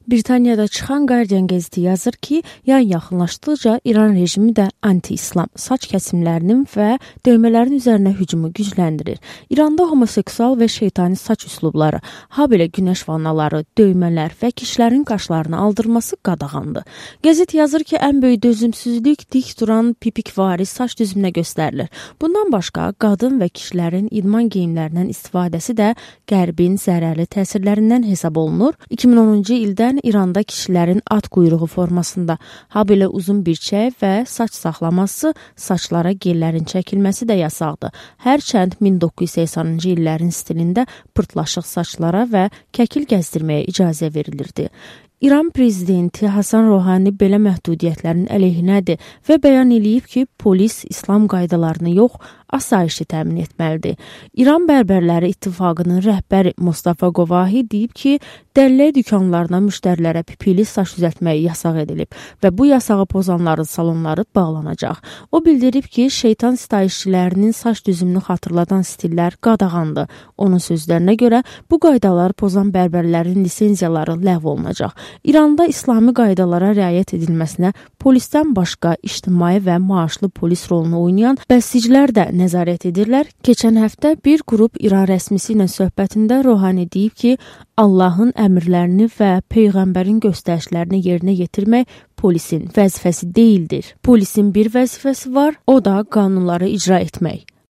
Britaniyada çıxan Guardian qəzeti yazır ki, yay yaxınlaşdıqca İran rejimi də anti-İslam saç kəsimlərinin və döymələrin üzərinə hücumu gücləndirir. İranda homoseksual və şeytani saç üslubları, habelə günəş vannaları, döymələr və kişilərin qaşlarını aldırması qadağandır. Qəzet yazır ki, ən böyük dözümsüzlük dik duran pipikvari saç düzümünə göstərilir. Bundan başqa, qadın və kişilərin idman geyimlərindən istifadəsi də Qərbin zərərli təsirlərindən hesab olunur. 2010-cu ildən İranda kişilərin at quyruğu formasında, habelə uzun birçək və saç saxlaması, saçlara gellərin çəkilməsi də yasaqdır. Hərçənd 1980-ci illərin stilində pırtlaşıq saçlara və kəkil gəzdirməyə icazə verilirdi. İran prezidenti Hasan Rohani belə məhdudiyyətlərin əleyhinədir və bəyan eləyib ki, polis İslam qaydalarını yox, asayişi təmin etməlidir. İran Bərbərləri İttifaqının rəhbəri Mustafa Qovahi deyib ki, dəllək dükanlarına müştərilərə pipili saç düzəltməyi yasaq edilib və bu yasağı pozanların salonları bağlanacaq. O bildirib ki, şeytan sitayişçilərinin saç düzümünü xatırladan stillər qadağandır. Onun sözlərinə görə bu qaydaları pozan bərbərlərin lisenziyaları ləğv olunacaq. İranda İslami qaydalara riayət edilməsinə polisdən başqa ictimai və maaşlı polis rolunu oynayan bəsicilər də nəzarət edirlər. Keçən həftə bir qrup İran rəsmisi ilə söhbətində Rohani deyib ki, Allahın əmrlərini və Peyğəmbərin göstərişlərini yerinə yetirmək polisin vəzifəsi deyildir. Polisin bir vəzifəsi var, o da qanunları icra etmək.